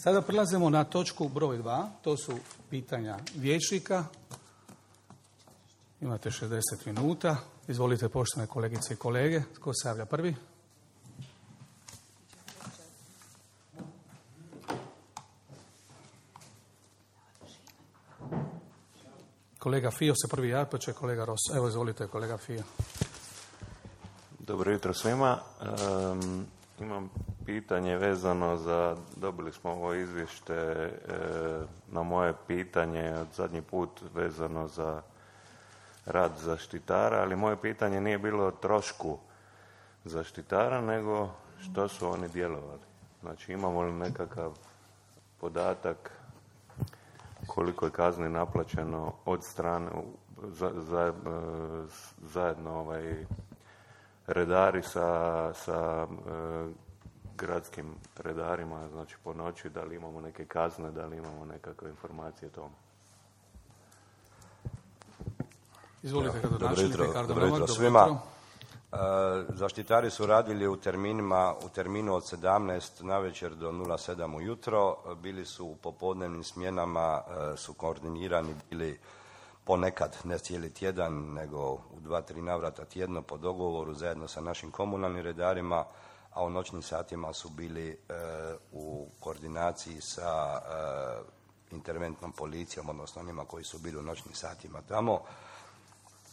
Sada prelazimo na točku broj 2, to su pitanja vijećnika. Imate 60 minuta. Izvolite, poštovane kolegice i kolege. Tko se javlja prvi? Kolega Fio se prvi javlja, pa će kolega Ros. Evo, izvolite, kolega Fio. Dobro jutro svima. Imam pitanje vezano za, dobili smo ovo izvješte na moje pitanje od zadnji put vezano za rad zaštitara, ali moje pitanje nije bilo o trošku zaštitara, nego što su oni djelovali. Znači, imamo li nekakav podatak koliko je kazni naplaćeno od strane zajedno redari sa gradskim redarima, znači po noći, da li imamo neke kazne, da li imamo nekakve informacije o tome. Izvolite, gradonačelnik Ricardo Dobro jutro svima. Zaštitari su radili u terminu od 17 navečer do 07 ujutro. Bili su u popodnevnim smjenama, su koordinirani bili ponekad, ne cijeli tjedan, nego u 2-3 navrata tjedno po dogovoru zajedno sa našim komunalnim redarima, a u noćnim satima su bili u koordinaciji sa interventnom policijom, odnosno onima koji su bili u noćnim satima tamo.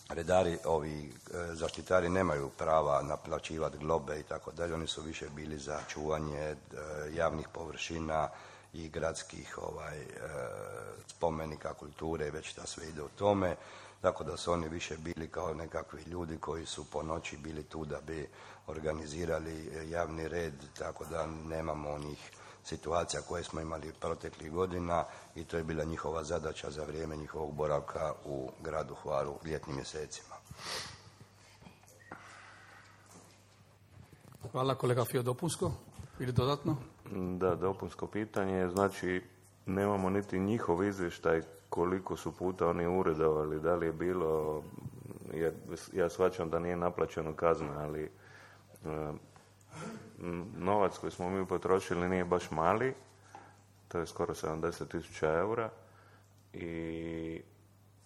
Redari, zaštitari nemaju prava naplaćivati globe i tako dalje, oni su više bili za čuvanje javnih površina i gradskih spomenika kulture, već da sve ide u tome, tako da su oni više bili kao nekakvi ljudi koji su po noći bili tu da bi organizirali javni red, tako da nemamo onih situacija koje smo imali proteklih godina i to je bila njihova zadaća za vrijeme njihovog boravka u gradu Hvaru u ljetnim mjesecima. Hvala, kolega Fio. Dopunsko ili dodatno? Da, dopunsko pitanje. Znači, nemamo niti njihov izvještaj koliko su puta oni uredovali, da li je bilo, jer ja shvaćam da nije naplaćeno kazna, ali novac koji smo mi potrošili nije baš mali, to je skoro 70.000 eura, i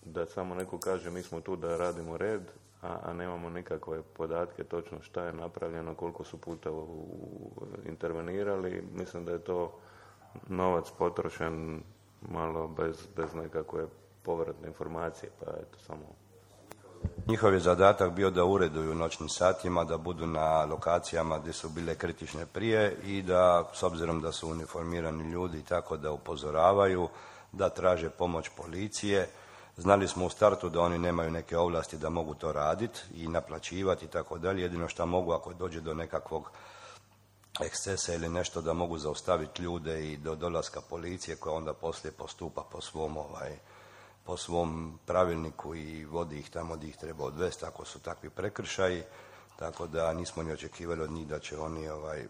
da samo neko kaže mi smo tu da radimo red, a nemamo nikakve podatke točno šta je napravljeno, koliko su puta intervenirali. Mislim da je to novac potrošen malo bez nekakve povratne informacije, pa eto samo. Njihov je zadatak bio da ureduju noćnim satima, da budu na lokacijama gdje su bile kritične prije i da, s obzirom da su uniformirani ljudi, tako da upozoravaju, da traže pomoć policije. Znali smo u startu da oni nemaju neke ovlasti da mogu to raditi i naplaćivati i tako dalje. Jedino što mogu, ako dođe do nekakvog ekscesa ili nešto, da mogu zaustaviti ljude i do dolaska policije koja onda poslije postupa po svom pravilniku i vodi ih tamo gdje ih treba odvesti ako su takvi prekršaji, tako da nismo ni očekivali od njih da će oni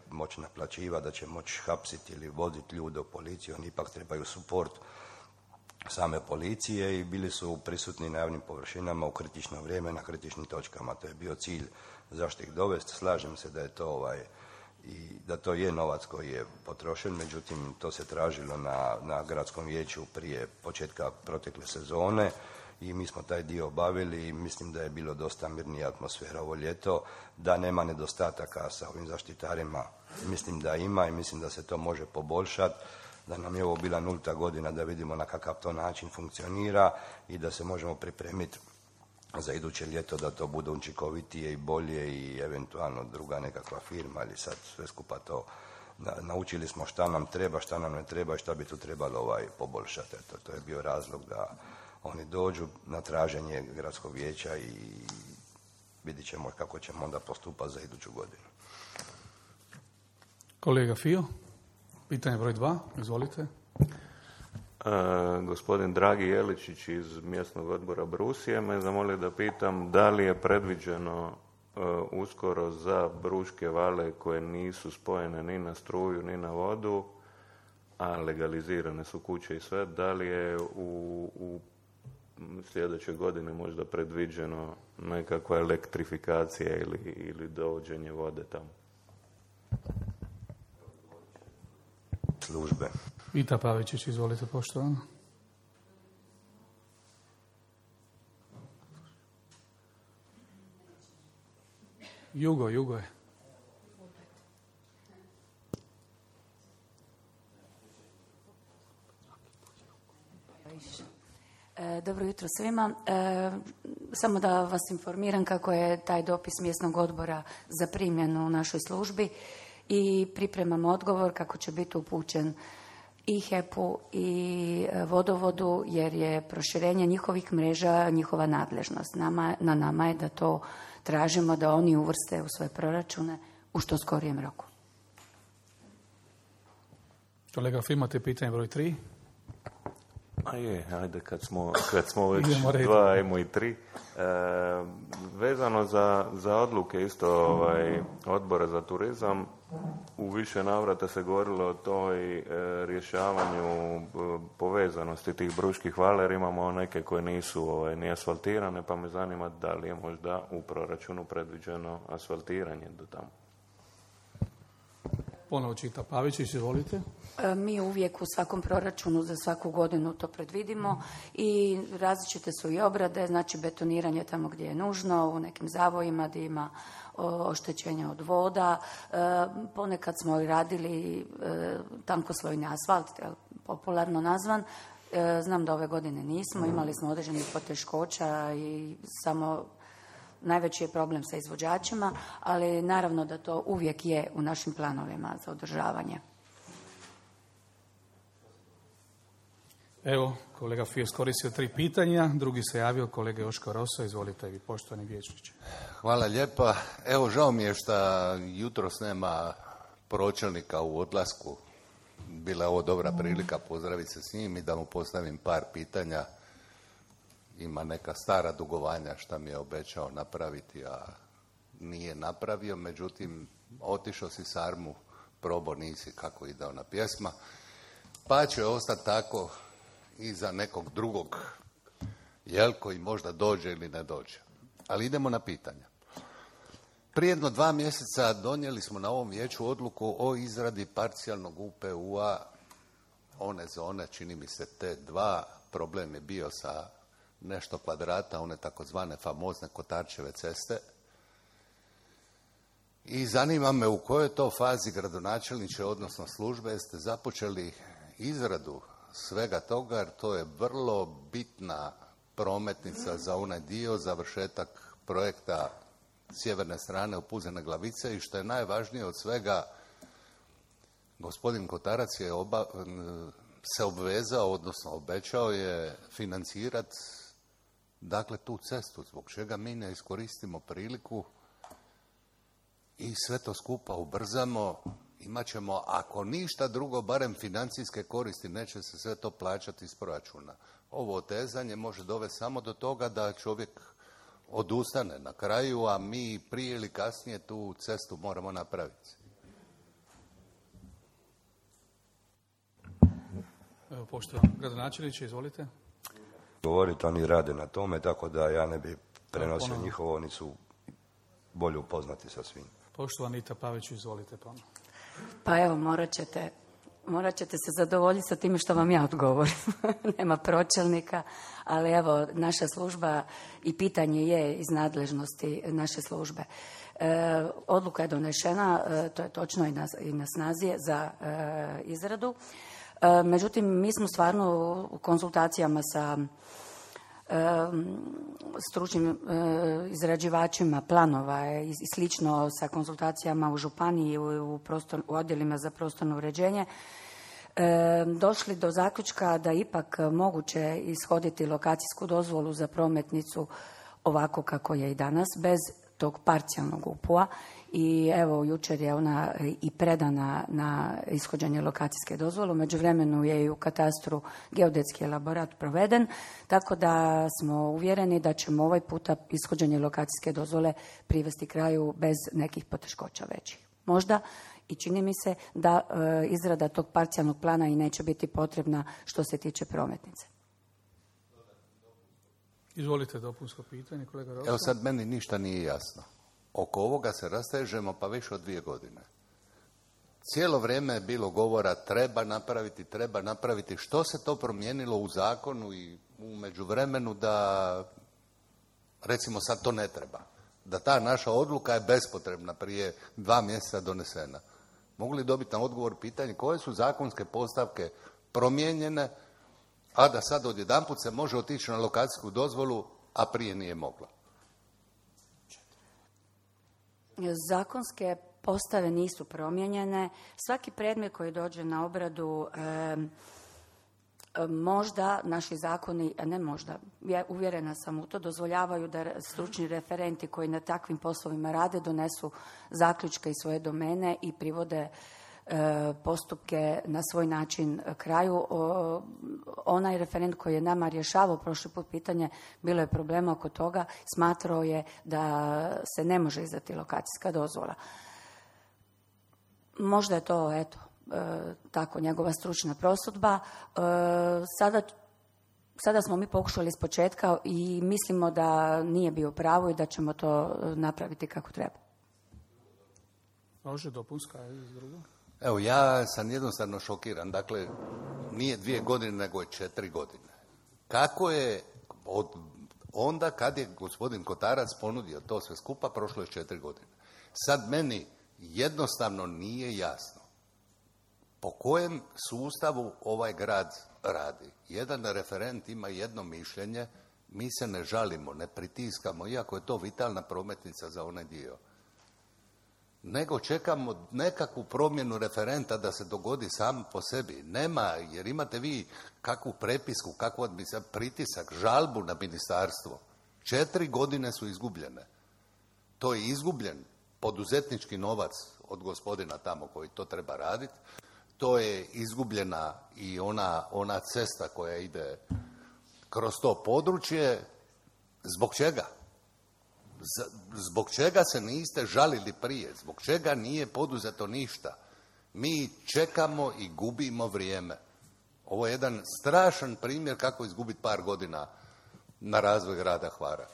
moći naplaćivati, da će moći hapsiti ili voditi ljude u policiju. Oni ipak trebaju suport same policije i bili su prisutni na javnim površinama u kritično vrijeme, na kritičnim točkama. To je bio cilj zašto ih dovesti. Slažem se da je to i da to je novac koji je potrošen, međutim to se tražilo na gradskom vijeću prije početka protekle sezone i mi smo taj dio obavili i mislim da je bilo dosta mirnija atmosfera ovo ljeto, da nema nedostataka sa ovim zaštitarima. Mislim da ima i mislim da se to može poboljšati, da nam je ovo bila 0. godina da vidimo na kakav to način funkcionira i da se možemo pripremiti za iduće ljeto da to bude učinkovitije i bolje i eventualno druga nekakva firma, ali sad sve skupa to naučili smo šta nam treba, šta nam ne treba i šta bi tu trebalo poboljšati. Eto, to je bio razlog da oni dođu na traženje gradskog vijeća i vidit ćemo kako ćemo onda postupati za iduću godinu. Kolega Fio, pitanje broj 2, izvolite. Gospodin Dragi Jeličić iz mjesnog odbora Brusije me zamolio da pitam da li je predviđeno uskoro za Bruške vale koje nisu spojene ni na struju ni na vodu, a legalizirane su kuće i sve, da li je u sljedećoj godini možda predviđeno nekakva elektrifikacija ili dovođenje vode tamo? Službe. Vita Pavičić, izvolite, poštovano. Jugo je. Dobro jutro svima. Samo da vas informiram kako je taj dopis mjesnog odbora zaprimljen u našoj službi i pripremam odgovor kako će biti upućen i HEP-u i vodovodu, jer je proširenje njihovih mreža njihova nadležnost. Na nama je da to tražimo, da oni uvrste u svoje proračune u što skorijem roku. Kolega Fi, imate pitanje broj 3? Ajde, kad smo već dva, ajmo i 3. Vezano za odluke isto odbora za turizam, u više navrata se govorilo o toj rješavanju povezanosti tih Bruških vala, jer imamo neke koje nisu ni asfaltirane, pa me zanima da li je možda u proračunu predviđeno asfaltiranje do tamo. Ponovo Vita Pavičić, izvolite. Mi uvijek u svakom proračunu za svaku godinu to predvidimo i različite su i obrade, znači betoniranje tamo gdje je nužno, u nekim zavojima gdje ima oštećenja od voda. Ponekad smo i radili tankoslojni asfalt, popularno nazvan. Znam da ove godine nismo, imali smo određenih poteškoća i samo najveći je problem sa izvođačima, ali naravno da to uvijek je u našim planovima za održavanje. Evo, kolega Fi je iskoristio 3 pitanja, drugi se javio kolega Joško Rosa, izvolite vi, poštovani vijećniče. Hvala lijepa. Evo, žao mi je što jutros nema pročelnika u odlasku. Bila je ovo dobra prilika pozdraviti se s njim i da mu postavim par pitanja. Ima neka stara dugovanja šta mi je obećao napraviti, a nije napravio. Međutim, otišao si sarmu, probao nisi kako ide ona pjesma. Pa će ostati tako i za nekog drugog, koji možda dođe ili ne dođe. Ali idemo na pitanja. Prije 2 mjeseca donijeli smo na ovom vijeću odluku o izradi parcijalnog UPU-a one zone, čini mi se T2. Problem je bio sa nešto kvadrata, one takozvane famozne Kotarčeve ceste. I zanima me u kojoj to fazi gradonačelniče, odnosno službe, ste započeli izradu svega toga, jer to je vrlo bitna prometnica za onaj dio, završetak projekta sjeverne strane Opuzene Glavice i što je najvažnije od svega, gospodin Kotarac je se obvezao, odnosno obećao je financirati dakle tu cestu, zbog čega mi ne iskoristimo priliku i sve to skupa ubrzamo. Imat ćemo, ako ništa drugo, barem financijske koristi, neće se sve to plaćati iz proračuna. Ovo otezanje može dovesti samo do toga da čovjek odustane na kraju, a mi prije ili kasnije tu cestu moramo napraviti. Evo, poštovani gradonačelniče, izvolite. Govoriti, oni rade na tome, tako da ja ne bi prenosio njihovo, oni su bolje upoznati sa svim. Poštovani Vita Pavić, izvolite ponovno. Pa evo, morat ćete se zadovoljiti sa time što vam ja odgovorim. Nema pročelnika, ali evo, naša služba i pitanje je iz nadležnosti naše službe. Odluka je donešena, to je točno i na snazi za izradu. Međutim, mi smo stvarno u konzultacijama sa stručnim izrađivačima planova i slično, sa konzultacijama u županiji, u odjelima za prostorno uređenje, došli do zaključka da ipak moguće ishoditi lokacijsku dozvolu za prometnicu ovako kako je i danas, bez tog parcijalnog UPU-a. I evo, jučer je ona i predana na ishođenje lokacijske dozvole. U međuvremenu je i u katastru geodetski elaborat proveden, tako da smo uvjereni da ćemo ovaj puta ishođenje lokacijske dozvole privesti kraju bez nekih poteškoća većih. Možda i čini mi se da izrada tog parcijalnog plana i neće biti potrebna što se tiče prometnice. Izvolite, dopunsko pitanje, kolega Rosa. Evo sad meni ništa nije jasno. Oko ovoga se rastežemo pa više od 2 godine. cijelo vrijeme je bilo govora treba napraviti. Što se to promijenilo u zakonu i u međuvremenu da, recimo sad to ne treba? Da ta naša odluka je bespotrebna, prije 2 mjeseca donesena. Mogu li dobiti na odgovor pitanje koje su zakonske postavke promijenjene, a da sad odjedanput se može otići na lokacijsku dozvolu, a prije nije moglo? Zakonske postave nisu promijenjene. Svaki predmet koji dođe na obradu, možda naši zakoni, a ne možda, ja uvjerena sam u to, dozvoljavaju da stručni referenti koji na takvim poslovima rade donesu zaključke iz svoje domene i privode postupke na svoj način kraju. Onaj referent koji je nama rješavao prošli put pitanje, bilo je problema oko toga, smatrao je da se ne može izdati lokacijska dozvola. Možda je to, eto, tako njegova stručna prosudba. Sada smo mi pokušali iz početka i mislimo da nije bio pravo i da ćemo to napraviti kako treba. Može dopunska iz drugo? Evo, ja sam jednostavno šokiran. Dakle, nije 2 godine, nego je 4 godine. Kako je onda kad je gospodin Kotarac ponudio to sve skupa, prošlo je 4 godine. Sad meni jednostavno nije jasno po kojem sustavu ovaj grad radi. Jedan referent ima jedno mišljenje, mi se ne žalimo, ne pritiskamo, iako je to vitalna prometnica za onaj dio. Nego čekamo nekakvu promjenu referenta da se dogodi sam po sebi. Nema, jer imate vi kakvu prepisku, kakvu pritisak, žalbu na ministarstvo. 4 godine su izgubljene. To je izgubljen poduzetnički novac od gospodina tamo koji to treba raditi. To je izgubljena i ona cesta koja ide kroz to područje. Zbog čega? Zbog čega se niste žalili prije? Zbog čega nije poduzeto ništa? Mi čekamo i gubimo vrijeme. Ovo je jedan strašan primjer kako izgubiti par godina na razvoj grada Hvara.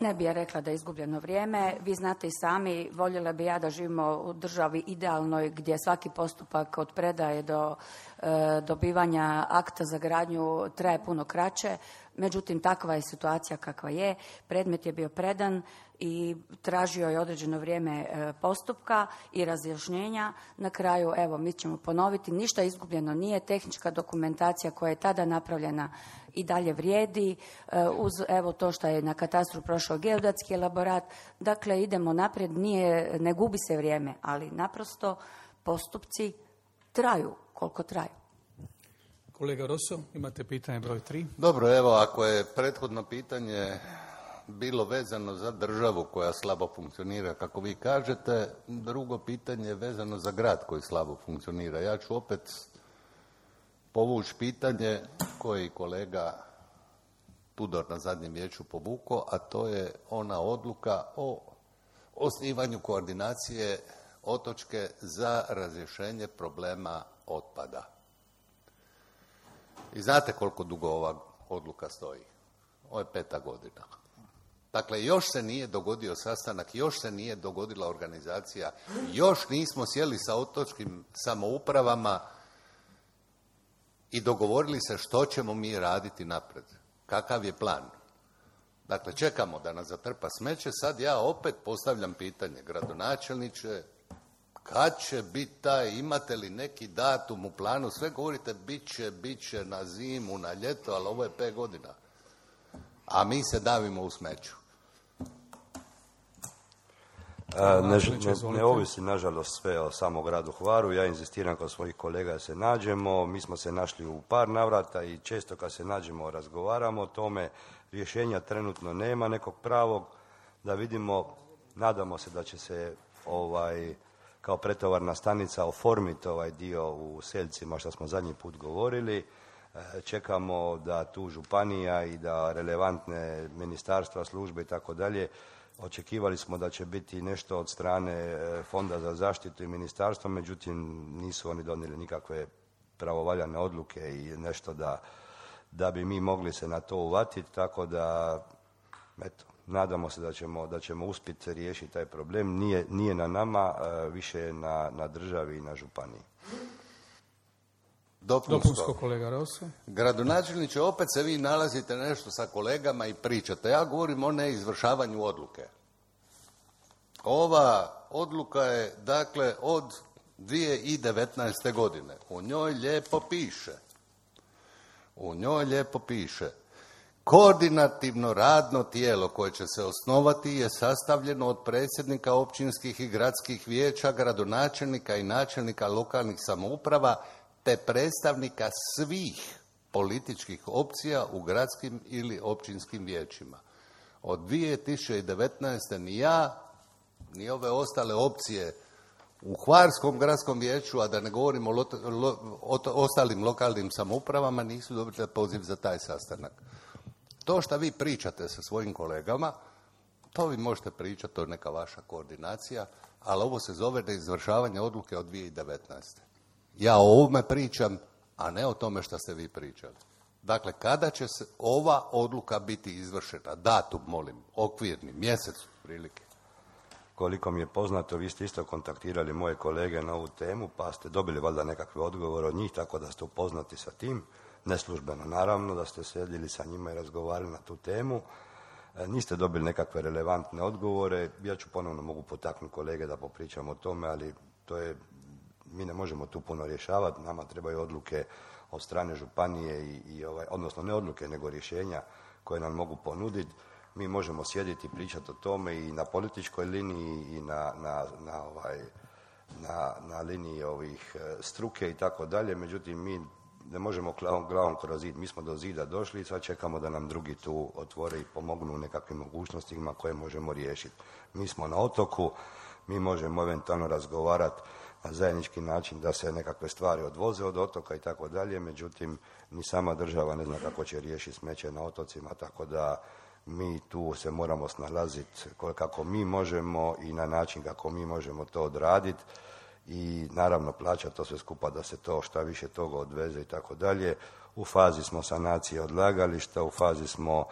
Ne bi ja rekla da je izgubljeno vrijeme. Vi znate i sami, voljela bi ja da živimo u državi idealnoj gdje svaki postupak od predaje do dobivanja akta za gradnju traje puno kraće. Međutim, takva je situacija kakva je. Predmet je bio predan i tražio je određeno vrijeme postupka i razjašnjenja. Na kraju, evo, mi ćemo ponoviti, ništa izgubljeno nije. Tehnička dokumentacija koja je tada napravljena i dalje vrijedi. Uz evo to što je na katastru prošao geodetski elaborat. Dakle, idemo naprijed, ne gubi se vrijeme, ali naprosto postupci traju koliko traju. Kolega Rosso, imate pitanje broj 3. Dobro, evo, ako je prethodno pitanje bilo vezano za državu koja slabo funkcionira, kako vi kažete, drugo pitanje je vezano za grad koji slabo funkcionira. Ja ću opet povući pitanje koje kolega Tudor na zadnjem vijeću povukao, a to je ona odluka o osnivanju koordinacije otočke za razrješenje problema otpada. I znate koliko dugo ova odluka stoji? Ovo je 5. godina. Dakle, još se nije dogodio sastanak, još se nije dogodila organizacija, još nismo sjeli sa otočkim samoupravama i dogovorili se što ćemo mi raditi napred. Kakav je plan? Dakle, čekamo da nas zatrpa smeće. Sad ja opet postavljam pitanje, gradonačelniče, kad će biti taj, imate li neki datum u planu? Sve govorite, bit će na zimu, na ljeto, ali ovo je 5 godina. A mi se davimo u smeću. Ne ovisi, nažalost, sve o samom gradu Hvaru. Ja inzistiram kod svojih kolega da se nađemo. Mi smo se našli u par navrata i često kad se nađemo razgovaramo o tome. Rješenja trenutno nema nekog pravog. Da vidimo, nadamo se da će se kao pretovarna stanica oformiti ovaj dio u Seljcima što smo zadnji put govorili. Čekamo da tu županija i da relevantne ministarstva, službe i tako dalje, očekivali smo da će biti nešto od strane Fonda za zaštitu i ministarstva, međutim nisu oni donijeli nikakve pravovaljane odluke i nešto da bi mi mogli se na to uvatiti, tako da eto, nadamo se da ćemo uspjeti riješiti taj problem. Nije na nama, više je na državi i na županiji. Dopunsko, kolega Rosso. Gradonačelniče, opet se vi nalazite nešto sa kolegama i pričate. Ja govorim o neizvršavanju odluke. Ova odluka je, dakle, od 2019. godine. U njoj lijepo piše koordinativno radno tijelo koje će se osnovati je sastavljeno od predsjednika općinskih i gradskih vijeća, gradonačelnika i načelnika lokalnih samouprava te predstavnika svih političkih opcija u gradskim ili općinskim vijećima. Od 2019. ni ja, ni ove ostale opcije u Hvarskom gradskom vijeću, a da ne govorimo o ostalim lokalnim samoupravama, nisu dobili poziv za taj sastanak. To što vi pričate sa svojim kolegama, to vi možete pričati, to je neka vaša koordinacija, ali ovo se zove neizvršavanje odluke od 2019. Ja o ovome pričam, a ne o tome što ste vi pričali. Dakle, kada će se ova odluka biti izvršena? Datum, molim, okvirni, mjesec prilike. Koliko mi je poznato, vi ste isto kontaktirali moje kolege na ovu temu, pa ste dobili valjda nekakve odgovore od njih, tako da ste upoznati sa tim, neslužbeno naravno, da ste sjedili sa njima i razgovarali na tu temu. Niste dobili nekakve relevantne odgovore. Ja ću ponovno mogu potaknuti kolege da popričamo o tome, ali mi ne možemo tu puno rješavati. Nama trebaju odluke od strane županije odnosno ne odluke, nego rješenja koje nam mogu ponuditi. Mi možemo sjediti i pričati o tome i na političkoj liniji i na liniji ovih struke i tako dalje. Međutim, mi ne možemo glavom kroz zid. Mi smo do zida došli i sad čekamo da nam drugi tu otvore i pomognu u nekakvim mogućnostima koje možemo riješiti. Mi smo na otoku, mi možemo eventualno razgovarati na zajednički način da se nekakve stvari odvoze od otoka i tako dalje. Međutim, ni sama država ne zna kako će riješiti smeće na otocima, tako da mi tu se moramo snalaziti kako mi možemo i na način kako mi možemo to odraditi i naravno plaćati to sve skupa da se to šta više toga odveze i tako dalje. U fazi smo sanacije odlagališta, u fazi smo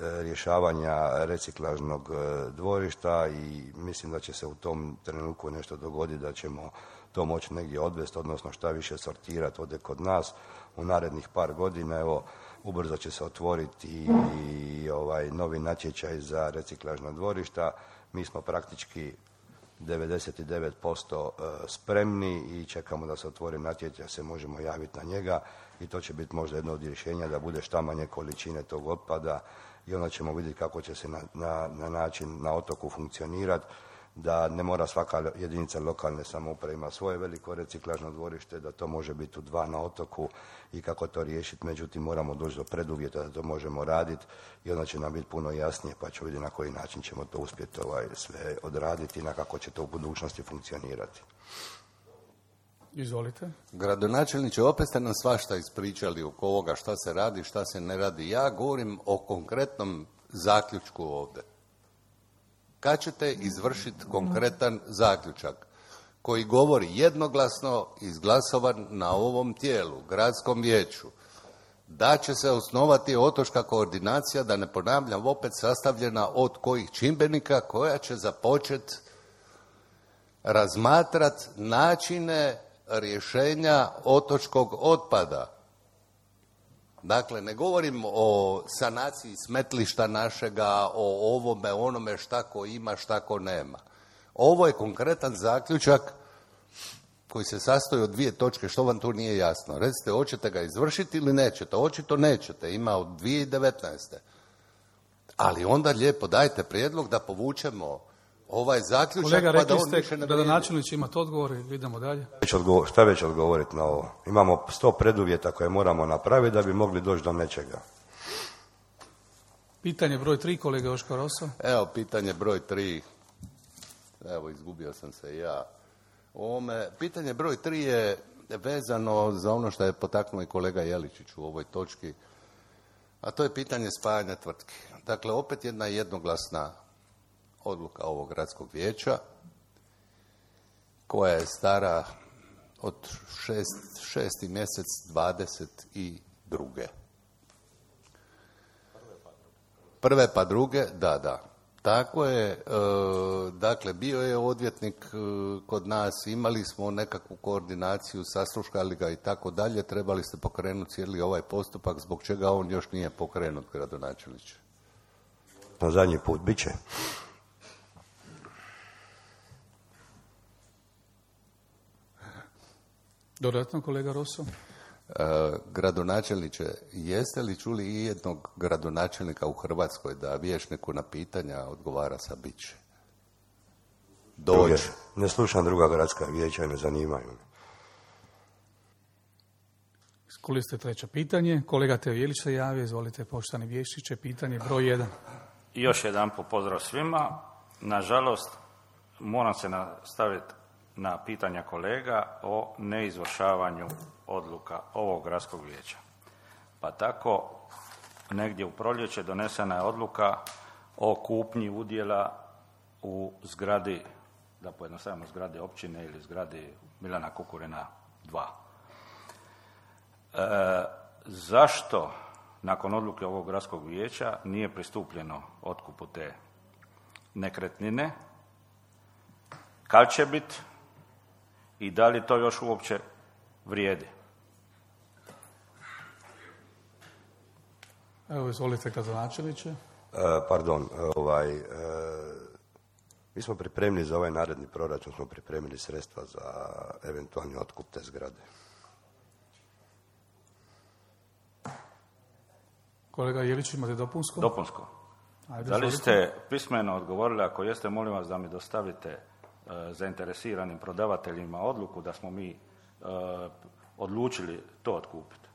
rješavanja reciklažnog dvorišta i mislim da će se u tom trenutku nešto dogoditi, da ćemo to moći negdje odvesti, odnosno šta više sortirati ovdje kod nas u narednih par godina. Evo, ubrzo će se otvoriti i novi natječaj za reciklažna dvorišta. Mi smo praktički 99% spremni i čekamo da se otvori natječaj, se možemo javiti na njega i to će biti možda jedno od rješenja da bude šta manje količine tog otpada i onda ćemo vidjeti kako će se na način na otoku funkcionirati, da ne mora svaka jedinica lokalne samouprave ima svoje veliko reciklažno dvorište, da to može biti u 2 na otoku i kako to riješiti. Međutim, moramo doći do preduvjeta da to možemo raditi i onda će nam biti puno jasnije, pa ću vidjeti na koji način ćemo to uspjeti sve odraditi i na kako će to u budućnosti funkcionirati. Izvolite. Gradonačelniče, opet ste nam svašta ispričali oko ovoga šta se radi, šta se ne radi. Ja govorim o konkretnom zaključku ovdje. Kad ćete izvršiti konkretan zaključak koji govori jednoglasno izglasovan na ovom tijelu, gradskom vijeću, da će se osnovati otočka koordinacija, da ne ponavljam opet, sastavljena od kojih čimbenika, koja će započeti razmatrati načine rješenja otočkog otpada. Dakle, ne govorim o sanaciji smetlišta našega, o ovome, onome šta ko ima, šta ko nema. Ovo je konkretan zaključak koji se sastoji od 2 točke, što vam tu nije jasno. Recite, hoćete ga izvršiti ili nećete? Očito nećete, ima od 2019. Ali onda lijepo dajte prijedlog da povučemo ovaj zaključak. Kolega, pa da on rekli više ste ne da vrijedi. načelnici imate odgovor i idemo dalje. Šta već odgovoriti na ovo? Imamo 100 preduvjeta koje moramo napraviti da bi mogli doći do nečega. Pitanje broj 3, kolega Joško Rosso. Evo, pitanje broj 3. Evo, izgubio sam se ja. Pitanje broj 3 je vezano za ono što je potaknuo i kolega Jeličić u ovoj točki, a to je pitanje spajanja tvrtki. Dakle, opet jedna jednoglasna odluka ovog gradskog vijeća koja je stara od 6. mjesec 22. prve pa druge, da. Tako je, dakle, bio je odvjetnik kod nas, imali smo nekakvu koordinaciju, saslušali ga i tako dalje, trebali ste pokrenuti cijeli ovaj postupak, zbog čega on još nije pokrenut, gradonačelniče? Na zadnji put bit će. Dodatno, kolega Rosso? Gradonačelniče, jeste li čuli i jednog gradonačelnika u Hrvatskoj da vijećniku na pitanja odgovara sa biće? Dođe. Ne slušam druga gradska vijeća i ne zanimaju me. Skuli ste treće pitanje. Kolega Teo Jelić se javio. Izvolite, poštovani vijećniče, pitanje broj 1. I još jedan pozdrav svima. Nažalost, moram se nastaviti na pitanja kolega o neizvršavanju odluka ovog gradskog vijeća. Pa tako, negdje u proljeće donesena je odluka o kupnji udjela u zgradi, da pojednostavimo, zgradi općine ili zgradi Milana Kukurina 2. Zašto nakon odluke ovog gradskog vijeća nije pristupljeno otkupu te nekretnine? Kad će biti i da li to još uopće vrijedi? Evo, izvolite, gradonačelniče. Mi smo pripremili za ovaj naredni proračun, smo pripremili sredstva za eventualni otkup te zgrade. Kolega Jelić, imate dopunsko? Dopunsko. Ajde, da li izvolite. ste pismeno odgovorili, ako jeste, molim vas da mi dostavite zainteresiranim prodavateljima odluku da smo mi odlučili to otkupiti?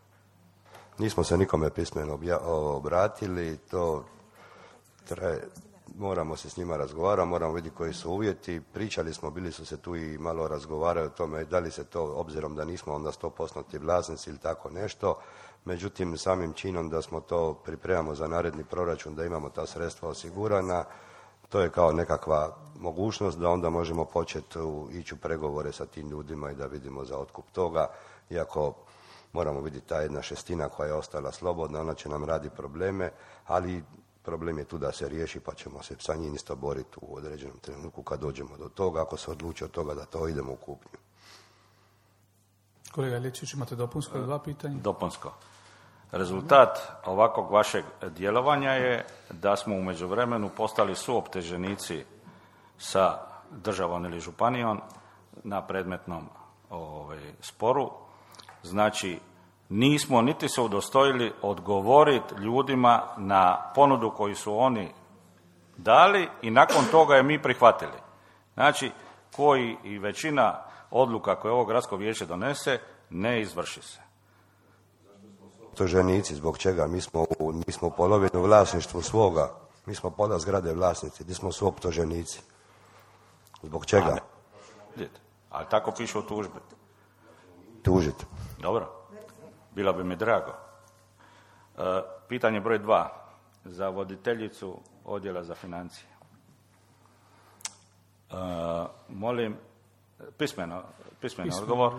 Nismo se nikome pismeno obratili, to moramo se s njima razgovarati, moramo vidjeti koji su uvjeti. Pričali smo, bili su se tu i malo razgovarali o tome da li se to, obzirom da nismo onda 100% vlasnici ili tako nešto, međutim samim činom da smo to pripremamo za naredni proračun, da imamo ta sredstva osigurana, to je kao nekakva mogućnost da onda možemo početi ići u pregovore sa tim ljudima i da vidimo za otkup toga, iako moramo vidjeti ta 1/6 koja je ostala slobodna, ona će nam radi probleme, ali problem je tu da se riješi, pa ćemo se sa njim isto boriti u određenom trenutku kad dođemo do toga, ako se odluči od toga da to idemo u kupnju. Kolega Jelić, imate dopunsko ili 2 pitanja? Dopunsko. Rezultat ovakvog vašeg djelovanja je da smo u međuvremenu postali suoptuženici sa državom ili županijom na predmetnom sporu. Znači, nismo niti se udostojili odgovoriti ljudima na ponudu koju su oni dali i nakon toga je mi prihvatili. Znači, koji i većina odluka koje ovo gradsko vijeće donese ne izvrši se. Optuženici, zbog čega? Mi smo polovinu vlasništvu svoga, mi smo pola zgrade vlasnici, gdje smo su optuženici. Zbog čega? Ali tako piše u tužbi. Tužiti. Dobro, bilo bi mi drago. Pitanje broj 2 za voditeljicu odjela za financije. Molim pismeno odgovor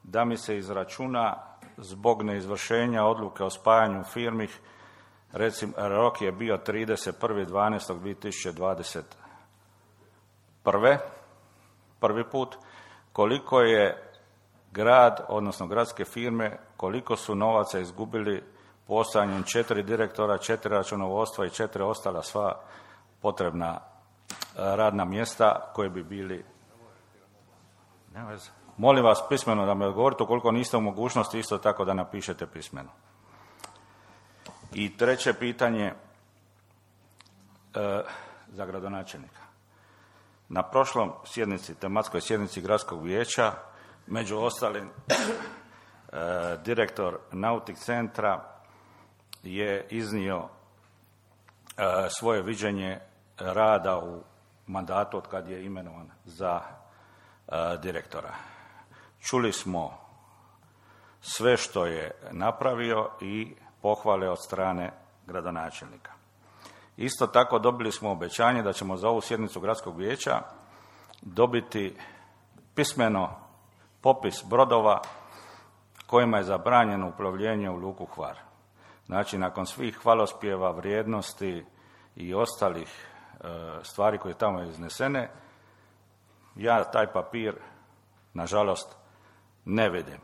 da mi se izračuna zbog neizvršenja odluke o spajanju firmi, recimo rok je bio 31.12.2021. prvi put, koliko je grad, odnosno gradske firme, koliko su novaca izgubili postojanjem 4 direktora, 4 računovodstva i 4 ostala sva potrebna radna mjesta koje bi bili. Molim vas pismeno da me odgovorite, ukoliko niste u mogućnosti, isto tako da napišete pismeno. I treće pitanje za gradonačelnika. Na prošlom tematskoj sjednici gradskog vijeća, među ostalim, direktor Nautik centra je iznio svoje viđenje rada u mandatu od kad je imenovan za direktora. Čuli smo sve što je napravio i pohvale od strane gradonačelnika. Isto tako dobili smo obećanje da ćemo za ovu sjednicu gradskog vijeća dobiti pismeno popis brodova kojima je zabranjeno uplovljenje u luku Hvar. Znači, nakon svih hvalospjeva, vrijednosti i ostalih stvari koje tamo iznesene, ja taj papir, nažalost, ne vidim.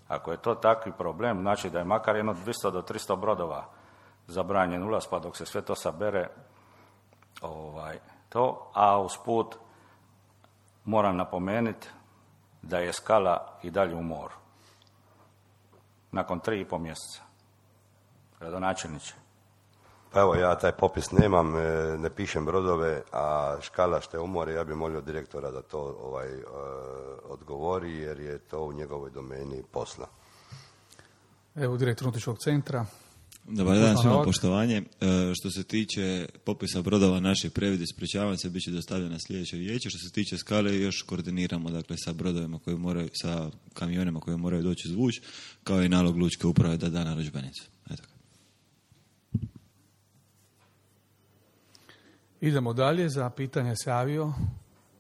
Ako je to takvi problem, znači da je makar jedno 200 do 300 brodova zabranjen ulaz, pa dok se sve to sabere, a usput moram napomenuti da je Skala i dalje u moru. Nakon 3,5 mjeseca. Gradonačelniče. Pa evo, ja taj popis nemam, ne pišem brodove, a Škala što je u more, ja bih molio direktora da to odgovori, jer je to u njegovoj domeni posla. Evo, direktor Nautičkog centra. Dobar dan, svima poštovanje. Što se tiče popisa brodova naših previd, ispričavam se, bit će dostavljeno na sljedeće vijeće. Što se tiče Skale, još koordiniramo dakle, sa brodovima koji moraju, sa kamionima koji moraju doći izvuć, kao i nalog lučke uprave da da narudžbenicu. Eto. Idemo dalje, za pitanje se javio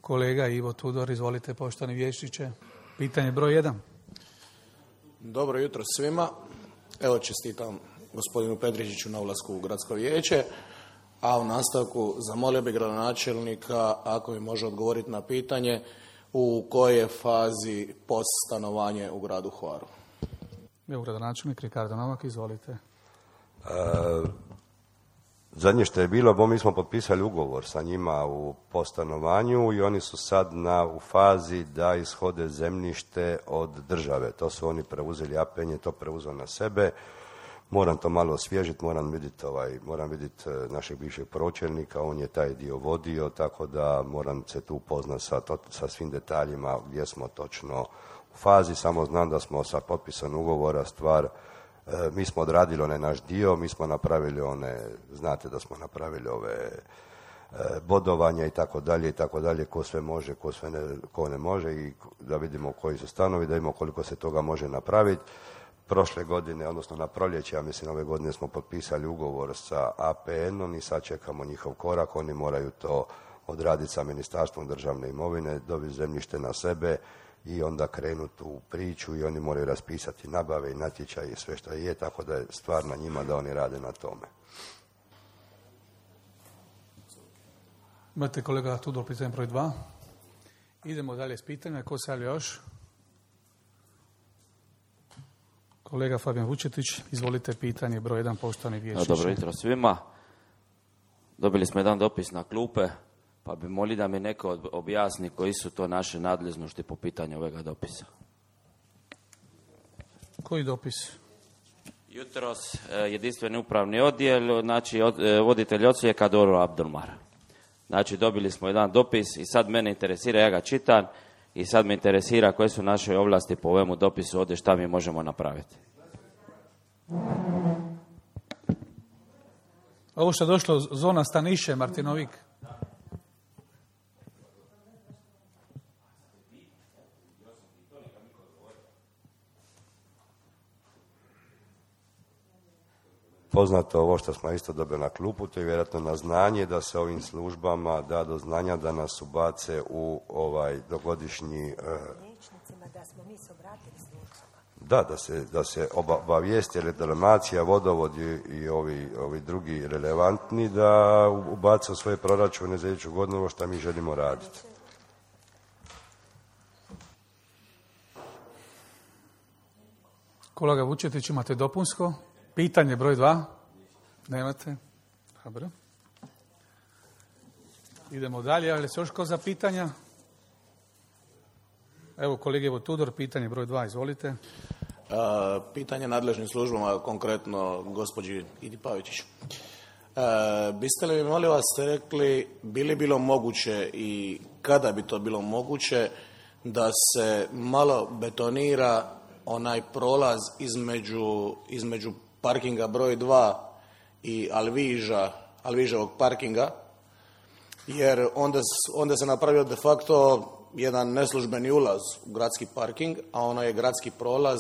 kolega Ivo Tudor. Izvolite, poštovani vijećniče. Pitanje broj 1. Dobro jutro svima. Evo, čestitam gospodinu Petričiću na ulasku u gradsko vijeće, a u nastavku zamolio bi gradonačelnika ako mi može odgovoriti na pitanje u kojoj je fazi POS stanovanje u gradu Hvaru. Evo, gradonačelnik Ricardo Novak, izvolite. Zadnje što je bilo, mi smo potpisali ugovor sa njima u postanovanju i oni su sad u fazi da ishode zemljište od države. To su oni preuzeli, APN je to preuzeo na sebe. Moram to malo osvježiti, moram vidjeti našeg bivšeg pročelnika, on je taj dio vodio, tako da moram se tu upoznati sa svim detaljima gdje smo točno u fazi. Samo znam da smo sa potpisom ugovora mi smo odradili onaj naš dio, mi smo napravili znate da smo napravili ove bodovanja i tako dalje, ko sve može, ko ne može i da vidimo koji su stanovi, da vidimo koliko se toga može napraviti. Prošle godine, odnosno na proljeće, ja mislim ove godine smo potpisali ugovor sa APN-om i sad čekamo njihov korak, oni moraju to odraditi sa Ministarstvom državne imovine, dobiti zemljište na sebe i onda krenuti u priču i oni moraju raspisati nabave i natječaje i sve što je, tako da je stvar na njima da oni rade na tome. Imate kolega Tudor, pitanje broj 2. Idemo dalje s pitanjima. Ko se javlja još? Kolega Fabijan Vučetić, izvolite, pitanje broj 1, poštovani vijećniče. Dobro jutro svima. Dobili smo jedan dopis na klupe, pa bi molio da mi neko objasni koji su to naše nadležnosti po pitanju ovoga dopisa. Koji dopis? Jutros jedinstveni upravni odjel, znači voditelj odsjeka Doro Abdulmar. Znači dobili smo jedan dopis i sad mene interesira, ja ga čitam, i sad me interesira koje su naše ovlasti po ovemu dopisu, ovdje šta mi možemo napraviti. Ovo što je došlo zona Staniše, Martinovik. Poznato ovo što smo isto dobili na klupu, to je vjerojatno na znanje da se ovim službama da do znanja da nas ubace u dogodišnji... da smo mi se obratili službama. Da se obavijesti reklamacija, vodovodi i ovi drugi relevantni da ubace u svoje proračune za iduću godinu ovo što mi želimo raditi. Kolega Vučetić, imate dopunsko? Pitanje broj 2? Nemate? Dobro. Idemo dalje. Javlja se još ko za pitanja? Evo, kolege Ivo Tudor, pitanje broj 2, izvolite. Pitanje nadležnim službama, konkretno gospođi Idi Pavičić. Biste li mi, molim vas, rekli, bi li bilo moguće i kada bi to bilo moguće da se malo betonira onaj prolaz između parkinga broj 2 i Alviževog parkinga, jer onda se napravio de facto jedan neslužbeni ulaz u gradski parking, a ono je gradski prolaz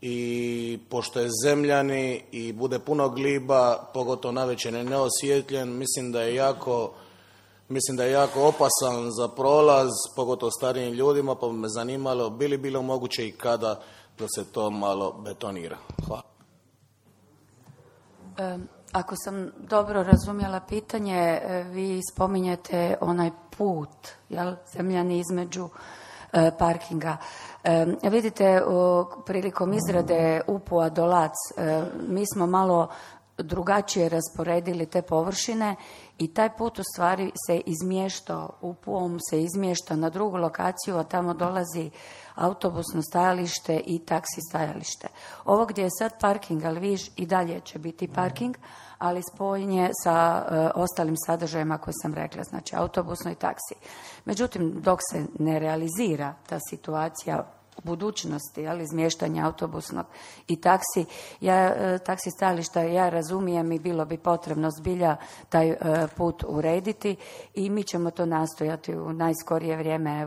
i pošto je zemljani i bude puno gliba, pogotovo navečer je neosvjetljen, mislim da je jako opasan za prolaz, pogotovo starijim ljudima, pa bi me zanimalo bi li bilo moguće i kada da se to malo betonira. Hvala. Ako sam dobro razumjela pitanje, vi spominjete onaj put, jel, zemljani između parkinga. Vidite, prilikom izrade UPU-a do Lac, mi smo malo drugačije rasporedili te površine i taj put u stvari se izmješta, UPU-om se izmješta na drugu lokaciju, a tamo dolazi autobusno stajalište i taksi stajalište. Ovo gdje je sad parking, ali viš i dalje će biti parking, ali spojen je sa ostalim sadržajima koje sam rekla, znači autobusno i taksi. Međutim, dok se ne realizira ta situacija budućnosti, ali izmještanja autobusnog i taksi stajališta, ja razumijem i bilo bi potrebno zbilja taj put urediti i mi ćemo to nastojati u najskorije vrijeme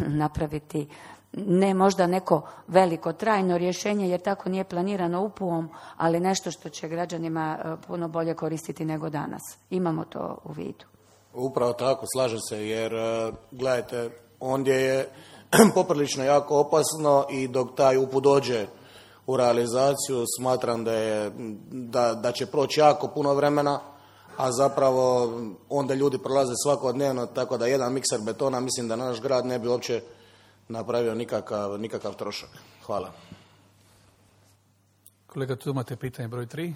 napraviti. Ne možda neko veliko trajno rješenje, jer tako nije planirano UPU-om, ali nešto što će građanima puno bolje koristiti nego danas. Imamo to u vidu. Upravo tako, slažem se, jer gledajte, ondje je poprilično jako opasno i dok taj UPU dođe u realizaciju, smatram da će proći jako puno vremena, a zapravo onda ljudi prolaze svakodnevno, tako da jedan mikser betona, mislim da naš grad ne bi uopće napravio nikakav trošak. Hvala. Kolega, tu imate pitanje broj 3.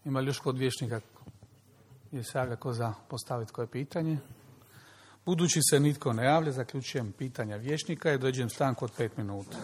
Ima li još kod vijećnika je saga ko za postaviti koje pitanje? Budući se nitko ne javlja, zaključujem pitanja vijećnika i određujem stanku od 5 minuta.